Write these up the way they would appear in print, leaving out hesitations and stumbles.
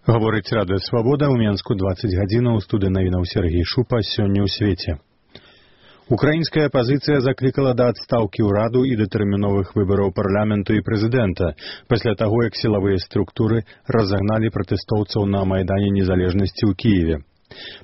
Гаворыць Радыё Свабода, ў Менску 20 гадзінаў, студыя навінаў Сергей Шупа, сёння ў свеце. Украінская апазіцыя заклікала да адстаўкі ўраду і датэрміновых выбараў парламенту і прэзідэнта, пасля таго, як сілавыя структуры разагналі пратэстоўцаў на Майдане Незалежнасці ў Кіеве.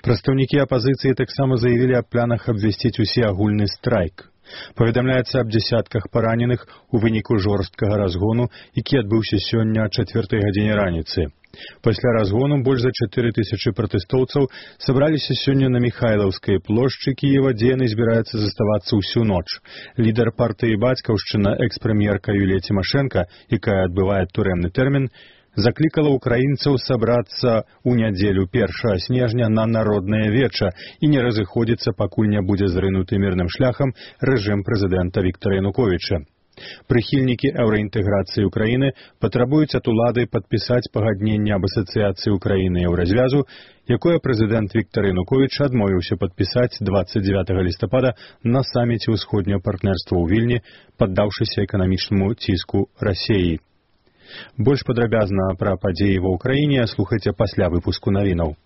Прадстаўнікі апазіцыі таксама заявілі аб планах абвясціць усеагульны страйк. Паведамляецца аб дзясятках параненых у выніку жорсткага разгону, які адбыўся сёння о 4 гадзіне раніцы. Пасля разгону больш за 4000 пратэстоўцаў сабраліся сёння на Міхайлаўскай плошчы Кіева, дзе яны збіраюцца заставацца ўсю ноч. Лідар партыі «Бацькаўшчына» экс-прэм'ерка Юлія Цімашэнка, якая адбывае турэмны тэрмін, заклікала украінцаў сабрацца ў нядзелю 1 снежня на народнае веча і не разыходзіцца, пакуль не будзе зрынуты мірным шляхам рэжым прэзідэнта Віктара Януковіча. Прыхільнікі еўраінтэграцыі ўкраіны патрабуюць ад улады падпісаць пагадненне аб асацыяцыі ўкраіны і еўразвязу, якое прэзідэнт Віктар Януковіч адмовіўся падпісаць 29 лістапада на саміце ўсходняго партнерства ў Вільні, паддаўшыся эканамічнаму ціску Расіі. Больш падрабязна пра падзеі ва ўкраіне слухайце пасля выпуску навінаў.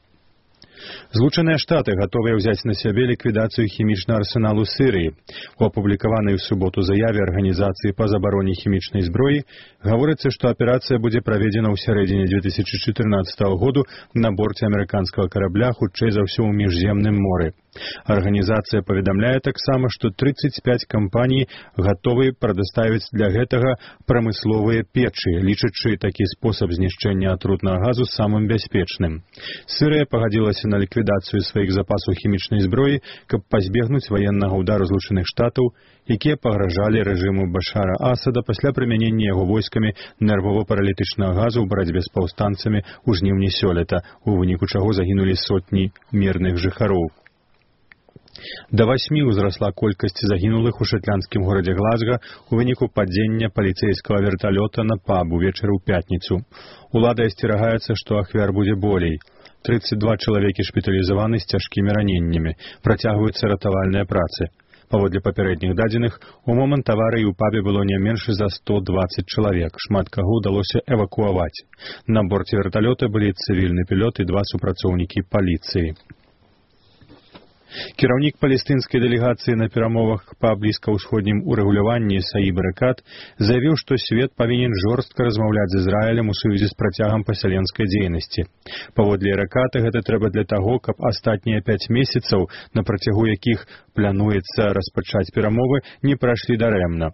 Злучаныя Штаты гатовыя ўзяць на сябе ліквідацыю хімічнага арсеналу Сірыі. У апублікаванай у суботу заяве Арганізацыі па забароне хімічнай зброі гаворыцца, што аперацыя будзе праведзена ў сярэдзіне 2014 году на борце амерыканскага карабля, хутчэй за ўсё ў міжземным моры. Арганізацыя паведамляе таксама, што 35 кампаній гатовы прадаставіць для гэтага прамысловыя печы, лічачы такі спосаб знішчэння атрутнага газу самым бяспечным. Сірыя пагадзілася на ліквідацыю сваіх запасаў хімічнай зброі, каб пазбегнуць ваеннага ўдару Злучаных Штатаў, якія пагражалі рэжыму Башара Асада пасля прымянення яго войскамі нервова-паралітычнага газу ў барацьбе з паўстанцамі ў жніўні сёлета, у выніку чаго загінулі сотні мірных жыхароў. Да 8 узрасла колькасць загінулых у шатландскім горадзе Глазга у выніку падзення паліцэйскага верталёта на паб увечары ў пятніцу. Улады асцерагаецца, што ахвяр будзе болей. 32 чалавекі шпіталізаваны з цяжкімі раненнямі. Працягваюцца ратавальныя працы. Паводле папярэдніх дадзеных, у момант аварыі ў пабе было не менш за 120 чалавек. Шмат каго ўдалося эвакуаваць. На борце верталёта былі цывільны пілот і 2 супрацоўнікі паліцыі. Кіраўнік палестынскай дэлегацыі на перамовах па блізкаўсходнім урэгуляванні Саіб Эрекат заявіў, што свет павінен жорстка размаўляць з Ізраілем у сувязі з працягам пасяленскай дзейнасці. Паводле Эреката гэта трэба для таго, каб астатнія 5 месяцаў, на працягу якіх плануецца распачаць перамовы, не прайшлі дарэмна.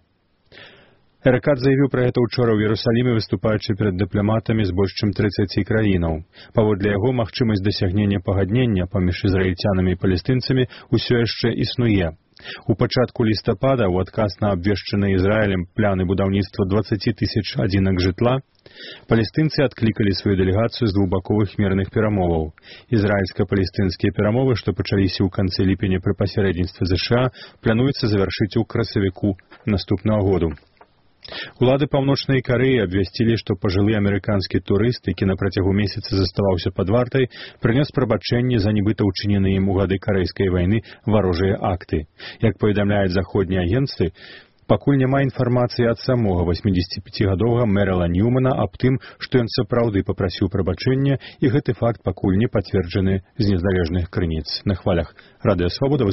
Эрекат заявіў пра гэта ўчора ў Іерусаліме, выступаючы перад дыпламатамі з больш чым 30 краінаў. Паводле яго, магчымасць дасягнення пагаднення паміж ізраільцянамі і палестынцамі ўсё яшчэ існуе. У пачатку лістапада, у адказ на абвешчаныя Ізраілем пляны будаўніцтва 20 000 адзінак жытла, палестынцы адклікалі сваю дэлегацыю з двухбаковых мірных перамоваў. Ізраільска-палестынскія перамовы, што пачаліся ў канцы ліпеня пры пасярэдніцтве ЗША, плануецца завяршыць у красавіку наступнага году. Улады Паўночнай Карэі абвясцілі, што пажылы амерыканскі турыст, які на працягу месяца заставаўся пад вартай, прынёс прабачэнне за нібыта ўчыненыя ім у гады карэйскай вайны варожыя акты. Як паведамляюць заходнія агенцтвы, пакуль няма інфармацыі ад самога 85-гадовага Мерала Ньюмана аб тым, што ён сапраўды папрасіў прабачэння, і гэты факт пакуль не пацверджаны з незалежных крыніц. На хвалях Радыё Свабода